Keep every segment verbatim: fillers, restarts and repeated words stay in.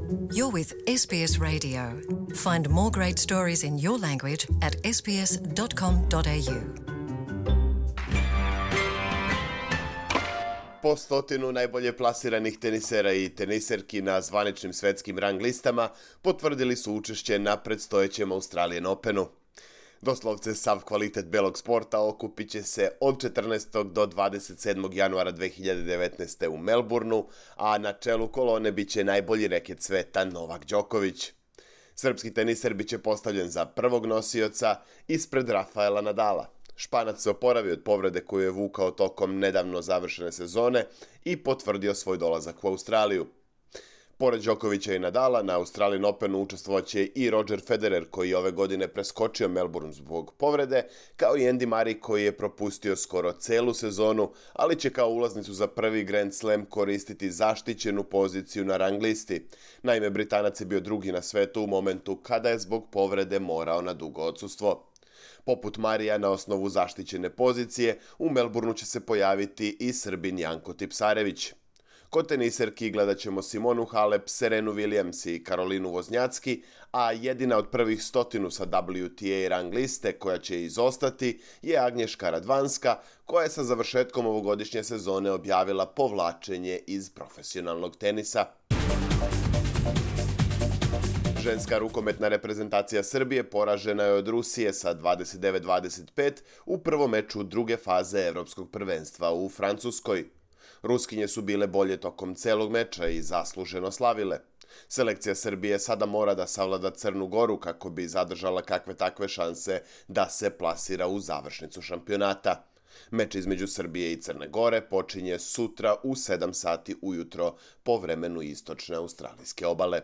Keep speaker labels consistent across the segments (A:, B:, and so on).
A: You're with S B S Radio. Find more great stories in your language at s b s dot com dot a u.
B: Po stotinu najbolje plasiranih tenisera i teniserki na zvaničnim svetskim rang listama potvrdili su učešće na predstojećem Australian Openu. Doslovce sav kvalitet belog sporta okupit će se od četrnaestog do dvadeset sedmog januara dve hiljade devetnaeste. u Melbourneu, a na čelu kolone bit će najbolji reket sveta Novak Đoković. Srpski teniser bit će postavljen za prvog nosioca ispred Rafaela Nadala. Španac se oporavio od povrede koju je vukao tokom nedavno završene sezone i potvrdio svoj dolazak u Australiju. Pored Đokovića i Nadala, na Australian Openu učestvovaće i Roger Federer, koji je ove godine preskočio Melbourne zbog povrede, kao i Andy Murray, koji je propustio skoro celu sezonu, ali će kao ulaznicu za prvi Grand Slam koristiti zaštićenu poziciju na rang listi. Naime, Britanac je bio drugi na svetu u momentu kada je zbog povrede morao na dugo odsustvo. Poput Marija, na osnovu zaštićene pozicije, u Melbourneu će se pojaviti i Srbin Janko Tipsarević. Kod teniserki gledat ćemo Simonu Halep, Serenu Williams i Karolinu Voznjacki, a jedina od prvih stotinu sa W T A rang liste koja će izostati je Agnješka Radvanska, koja je sa završetkom ovogodišnje sezone objavila povlačenje iz profesionalnog tenisa. Ženska rukometna reprezentacija Srbije poražena je od Rusije sa dvadeset devet dvadeset pet u prvom meču druge faze Evropskog prvenstva u Francuskoj. Ruskinje su bile bolje tokom celog meča i zasluženo slavile. Selekcija Srbije sada mora da savlada Crnu Goru kako bi zadržala kakve takve šanse da se plasira u završnicu šampionata. Meč između Srbije i Crne Gore počinje sutra u sedam sati ujutro po vremenu istočne australijske obale.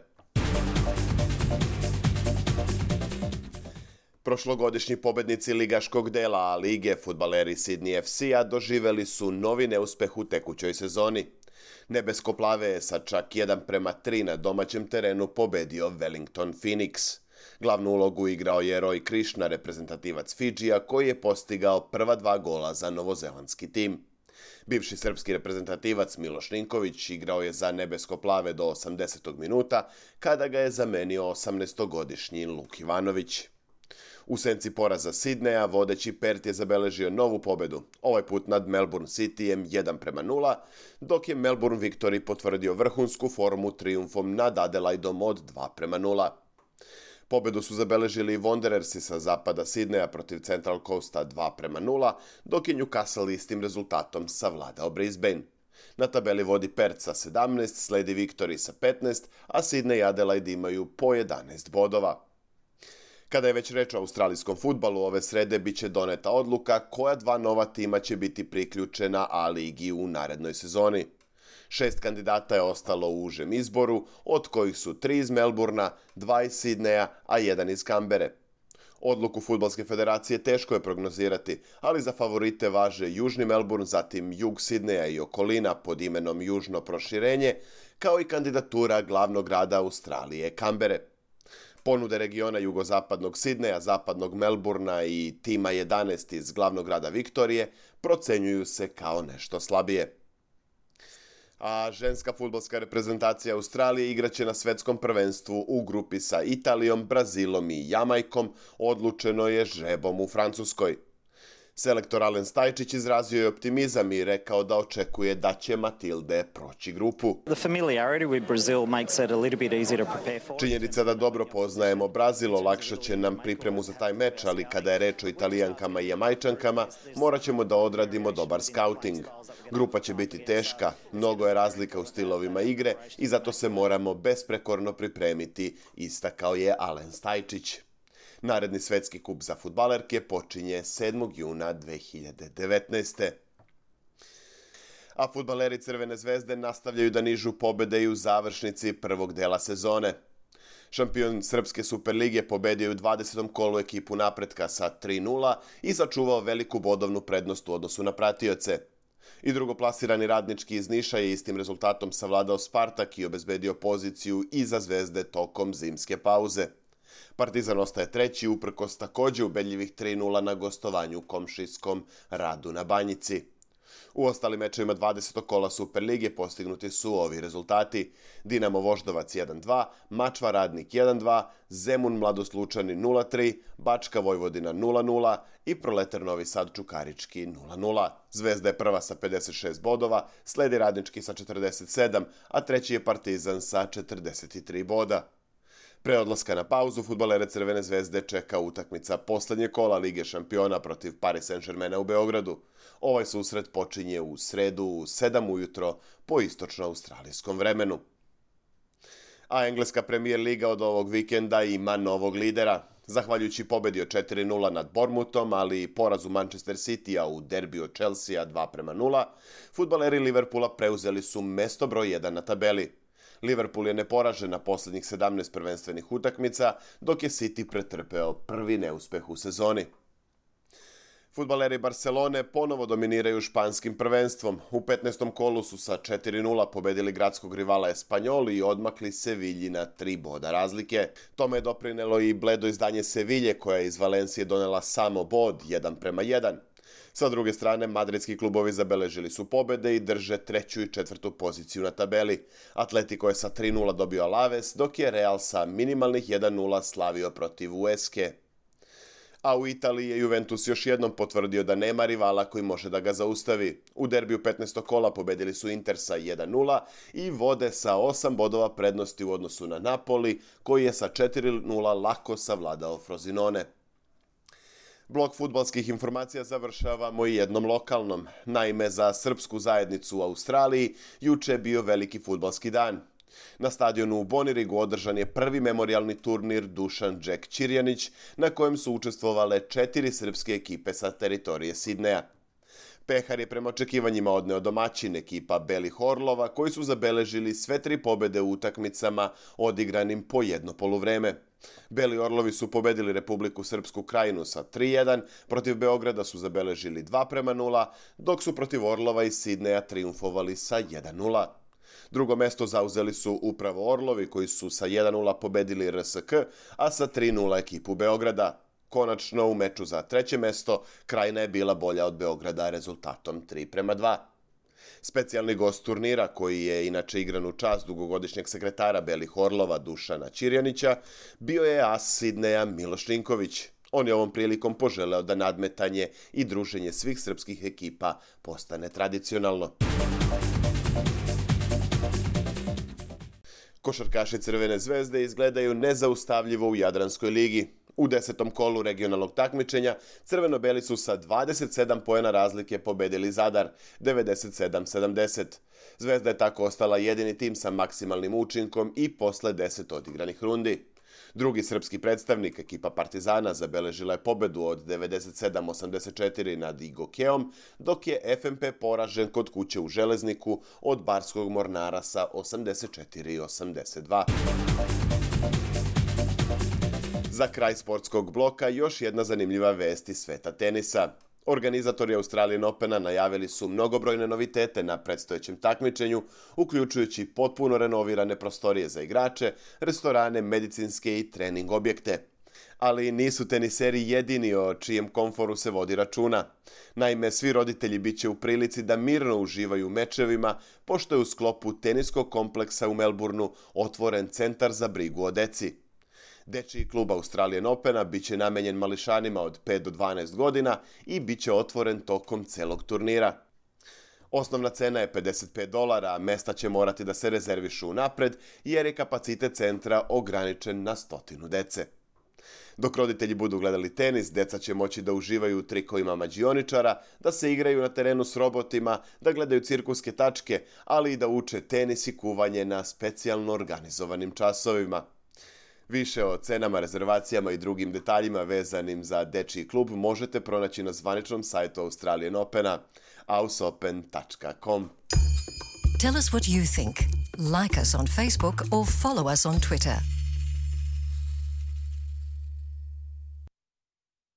B: Prošlogodišnji pobednici ligaškog dela A lige, fudbaleri Sydney F C-a, doživeli su novi neuspeh u tekućoj sezoni. Nebesko-plave je sa čak jedan prema tri na domaćem terenu pobedio Wellington Phoenix. Glavnu ulogu igrao je Roy Krishna, reprezentativac Fidžija, koji je postigao prva dva gola za novozelandski tim. Bivši srpski reprezentativac Miloš Ninković igrao je za nebesko-plave do osamdesetog minuta, kada ga je zamenio osamnaestogodišnji Luk Ivanović. U senci poraza Sidneja, vodeći Perth je zabeležio novu pobedu, ovaj put nad Melbourne Cityjem jedan prema nula, dok je Melbourne Victory potvrdio vrhunsku formu trijumfom nad Adelaidom od dva prema nula. Pobedu su zabeležili Wanderersi sa zapada Sidneja protiv Central Coasta dva prema nula, dok je Newcastle istim rezultatom savladao Brisbane. Na tabeli vodi Perth sa sedamnaest, sledi Victory sa petnaest, a Sydney i Adelaide imaju po jedanaest bodova. Kada je već reč o australijskom fudbalu, ove srede bit će doneta odluka koja dva nova tima će biti priključena A ligi u narednoj sezoni. Šest kandidata je ostalo u užem izboru, od kojih su tri iz Melbournea, dva iz Sidneja, a jedan iz Kambere. Odluku Fudbalske federacije teško je prognozirati, ali za favorite važe Južni Melbourne, zatim jug Sidneja i okolina pod imenom Južno proširenje, kao i kandidatura glavnog grada Australije, Kambere. Ponude regiona jugozapadnog Sidneja, zapadnog Melbournea i tima jedanaest iz glavnog grada Viktorije procenjuju se kao nešto slabije. A ženska fudbalska reprezentacija Australije igraće na svetskom prvenstvu u grupi sa Italijom, Brazilom i Jamajkom, odlučeno je žrebom u Francuskoj. Selektor Alen Stajčić izrazio je optimizam i rekao da očekuje da će Matilde proći grupu. Činjenica da dobro poznajemo Brazil olakšat će nam pripremu za taj meč, ali kada je reč o Italijankama i Jamajčankama, morat ćemo da odradimo dobar skauting. Grupa će biti teška, mnogo je razlika u stilovima igre i zato se moramo besprekorno pripremiti, istakao je Alen Stajčić. Naredni svetski kup za fudbalerke počinje sedmog juna dve hiljade devetnaeste. A fudbaleri Crvene zvezde nastavljaju da nižu pobede i u završnici prvog dela sezone. Šampion Srpske Superlige pobedio u dvadesetom kolu ekipu Napretka sa tri nula i sačuvao veliku bodovnu prednost u odnosu na pratioce. I drugoplasirani Radnički iz Niša je istim rezultatom savladao Spartak i obezbedio poziciju iza Zvezde tokom zimske pauze. Partizan ostaje treći uprkos takođe ubedljivih tri nula na gostovanju komšijskom Radu na Banjici. U ostalim mečevima dvadesetog kola Superlige postignuti su ovi rezultati: Dinamo Voždovac jedan dva, Mačva Radnik jedan dva, Zemun Mladost Lučani nula tri, Bačka Vojvodina nula nula i Proletar Novi Sad Čukarički nula nula. Zvezda je prva sa pedeset šest bodova, sledi Radnički sa četrdeset sedam, a treći je Partizan sa četrdeset tri boda. Pre odlaska na pauzu, fudbalere Crvene zvezde čeka utakmica poslednje kola Lige šampiona protiv Paris Saint-Germaina u Beogradu. Ovaj susret počinje u sredu u sedam ujutro po istočno-australijskom vremenu. A engleska Premier Liga od ovog vikenda ima novog lidera. Zahvaljujući pobedi od četiri nula nad Bournemouthom, ali i porazu Manchester Citya u derbiju Chelsea dva prema nula, fudbaleri Liverpoola preuzeli su mesto broj jedan na tabeli. Liverpool je neporažen na poslednjih sedamnaest prvenstvenih utakmica, dok je City pretrpeo prvi neuspeh u sezoni. Fudbaleri Barcelone ponovo dominiraju španskim prvenstvom. U petnaestom kolu su sa četiri nula pobedili gradskog rivala Espanyol i odmakli Sevilji na tri boda razlike. Tome je doprinelo i bledo izdanje Sevilje, koja je iz Valencije donela samo bod jedan prema jedan. Sa druge strane, madridski klubovi zabeležili su pobede i drže treću i četvrtu poziciju na tabeli. Atletico je sa tri nula dobio Alaves, dok je Real sa minimalnih jedan nula slavio protiv Huesque. A u Italiji je Juventus još jednom potvrdio da nema rivala koji može da ga zaustavi. U derbiju petnaestog kola pobedili su Inter sa jedan nula i vode sa osam bodova prednosti u odnosu na Napoli, koji je sa četiri nula lako savladao Frosinone. Blok fudbalskih informacija završavamo i jednom lokalnom. Naime, za srpsku zajednicu u Australiji juče je bio veliki fudbalski dan. Na stadionu u Bonirigu održan je prvi memorijalni turnir Dušan Jack Ćirjanić, na kojem su učestvovale četiri srpske ekipe sa teritorije Sidneja. Pehar je prema očekivanjima odneo domaćin, ekipa Belih Orlova, koji su zabeležili sve tri pobede u utakmicama odigranim po jedno poluvreme. Beli Orlovi su pobedili Republiku Srpsku Krajinu sa tri jedan, protiv Beograda su zabeležili dva prema nula, dok su protiv Orlova i Sidneja triumfovali sa jedan nula. Drugo mesto zauzeli su upravo Orlovi, koji su sa jedan nula pobedili R S K, a sa tri nula ekipu Beograda. Konačno, u meču za treće mesto, Krajina je bila bolja od Beograda rezultatom tri prema dva. Specijalni gost turnira, koji je inače igran u čast dugogodišnjeg sekretara Belih Orlova Dušana Ćirjanića, bio je as Sidneja Miloš Ninković. On je ovom prilikom poželeo da nadmetanje i druženje svih srpskih ekipa postane tradicionalno. Košarkaši Crvene zvezde izgledaju nezaustavljivo u Jadranskoj ligi. U desetom kolu regionalnog takmičenja crveno-beli su sa dvadeset sedam poena razlike pobedili Zadar, devedeset sedam sedamdeset. Zvezda je tako ostala jedini tim sa maksimalnim učinkom i posle deset odigranih rundi. Drugi srpski predstavnik, ekipa Partizana, zabeležila je pobedu od devedeset sedam osamdeset četiri nad Igokeom, dok je F M P poražen kod kuće u Železniku od Barskog Mornara sa osamdeset četiri osamdeset dva. Za kraj sportskog bloka još jedna zanimljiva vest iz sveta tenisa. Organizatori Australian Opena najavili su mnogobrojne novitete na predstojećem takmičenju, uključujući potpuno renovirane prostorije za igrače, restorane, medicinske i trening objekte. Ali nisu teniseri jedini o čijem komforu se vodi računa. Naime, svi roditelji bit će u prilici da mirno uživaju u mečevima, pošto je u sklopu teniskog kompleksa u Melbourneu otvoren centar za brigu o deci. Dečiji klub Australian Opena bit će namenjen mališanima od pet do dvanaest godina i bit će otvoren tokom celog turnira. Osnovna cena je pedeset pet dolara, a mesta će morati da se rezervišu unapred jer je kapacitet centra ograničen na stotinu dece. Dok roditelji budu gledali tenis, deca će moći da uživaju u trikovima mađioničara, da se igraju na terenu s robotima, da gledaju cirkuske tačke, ali i da uče tenis i kuvanje na specijalno organizovanim časovima. Više o cenama, rezervacijama i drugim detaljima vezanim za dečiji klub možete pronaći na zvaničnom sajtu Australian Opena ausopen tačka com.
A: Tell us what you think. Like us on Facebook or follow us on Twitter.